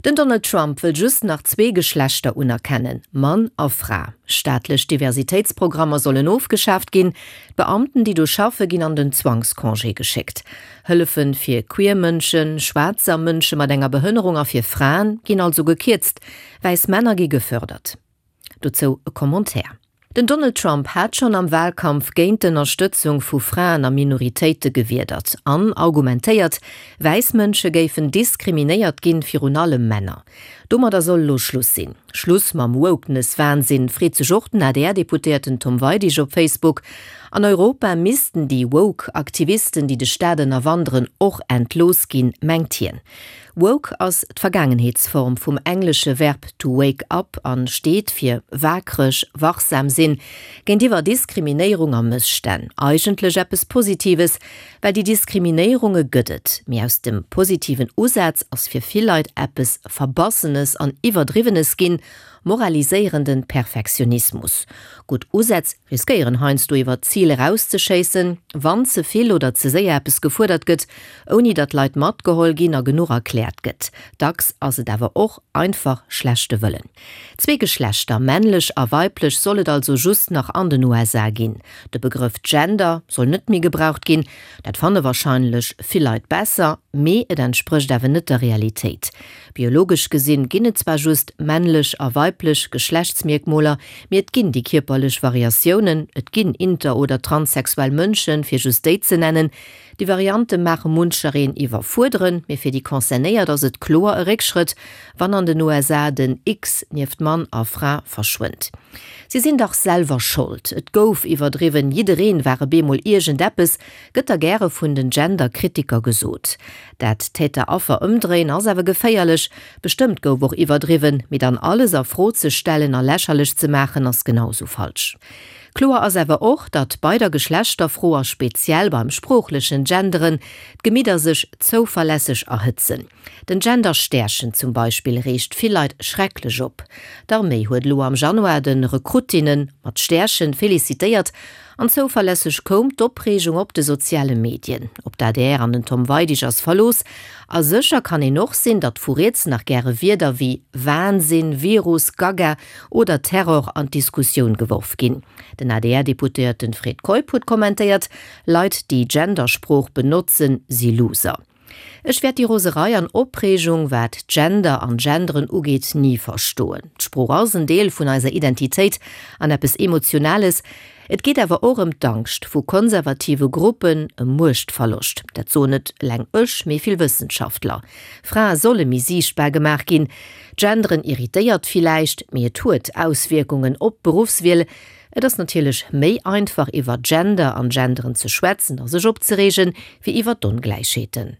Den Donald Trump wëll just nach zwee Geschlechter unerkennen, Mann a Fra. Staatlech Diversitéitsprogrammer sollen ofgeschaaft ginn. D'Beamten, déi do schaffe ginn an den Zwangscongé geschéckt. Hëllefe fir queer Mënschen, Schwaarzer, Mënsche mat enger Behënnerung a fir Fraen ginn also gekierzt. Wäiss Männer gi gefördert. Dozou e Commentaire. Den Donald Trump hat schonn am Wahlkampf géint d'Ënnerstëtzung vu Fraen a Minoritéite gewiedert an argumentéiert, wäiss Mënsche géifen diskriminéiert ginn, virun allem Männer. Domadder soll elo Schluss sinn. Schluss mam Wokeness-Wahnsinn, freet sech och den ADR-Deputéierten Tom Weidig op Facebook. An Europa missten déi woke Aktivisten, déi de Staat ënnerwanderen, och entlooss ginn, mengt hien. Woke ass d'Vergaangenheetsform vum englesche Verb to wake up an steet fir waakreg, wachsam sinn géintiwwer Diskriminéierung a Mësstänn. Eigentlech eppes Positives, well déi Diskriminéierunge gëtt et. Mee aus dem positiven Usaz ass fir vill Leit eppes Verbassenes an Iwwerdriwwenes ginn, moraliséierenden Perfektionismus. Gutt Usätz riskéieren heiansdo iwwer d'Zil erauszeschéissen, wann ze vill oder ze séier eppes gefuerdert gëtt, ouni datt Leit matgeholl ginn a genuch erkläert gëtt. Dacks ass et awer och einfach schlechte Wëllen. Zwee Geschlechter, männlech a weiblech, soll et also just nach an den USA ginn. De Begrëff Gender soll net méi gebraucht ginn. Dat fanne warscheinlech vill Leit besser, mee et entsprécht awer net der Realitéit. Biologesch gesinn ginn et zwar just männlech a weiblech Geschlechtsmierkmoler, mee et ginn déi kierperlech Variatiounen, et ginn inter oder transsexuell Mënschen, fir just déi ze nennen. Déi Variante maache munchereen iwwerfuerderen, mee fir déi Concernéiert ass et kloer e Réckschrëtt, wann an den USA den X nieft Mann a Fra verschwënnt. Si sinn dach selwer Schold, et gouf iwwerdriwwen, jiddereen war e bemol iergendeppes, gëtt da gäre vun den Gender-Kritiker gesot. Dat Täter-Affer ëmdréien ass awer geféierlech. Bestëmmt gouf och iwwerdriwwen, mee dann alles a Fro ze stellen a lächerlech ze maachen ass genau sou falsch. Kloer ass awer och, datt bei der Geschlechterfro a speziell beim sproochlechen Genderen d'Gemidder sech zouverlässeg erhëtzen. Den Gender-Stärchen zum Beispill reegt vill Leit schrecklech op. D'Arméi huet elo am Januar de Rekruttinne mat Stärchen felicitéiert An zouverlässeg koum d'Opreegung op de soziale Medien. Op d'ADR an den Tom Weidig ass Verlooss. A sécher kann een och sinn, datt vu riets nach gäre Wierder wéi Wahnsinn, Virus, Gaga oder Terror an d'Diskussioun geworf ginn. Den ADR-Deputéierten Fred Keup huet kommentéiert, Leit déi Gendersprooch benotzen, si Loser. Ech wäert déi Roserei an Opreegung, wat Gender an Genderen ugeet, ni verstoen. D'Sprooch ass en Deel vun eiser Identitéit an eppes Emotionales. Et geet awer och ëm d'Angscht vu konservative Gruppen, ëm Muechtverloscht. Dat soen net eleng ech, mee vill Wëssenschaftler. Frae solle méi siichtbar gemaach ginn. Genderen irritéiert villäicht, mee et huet Auswierkungen op d'Beruffswiel. Et ass natierlech méi einfach iwwer Gender an Genderen ze schwätzen a sech opzereegen, wéi iwwer d'Ongläichheeten.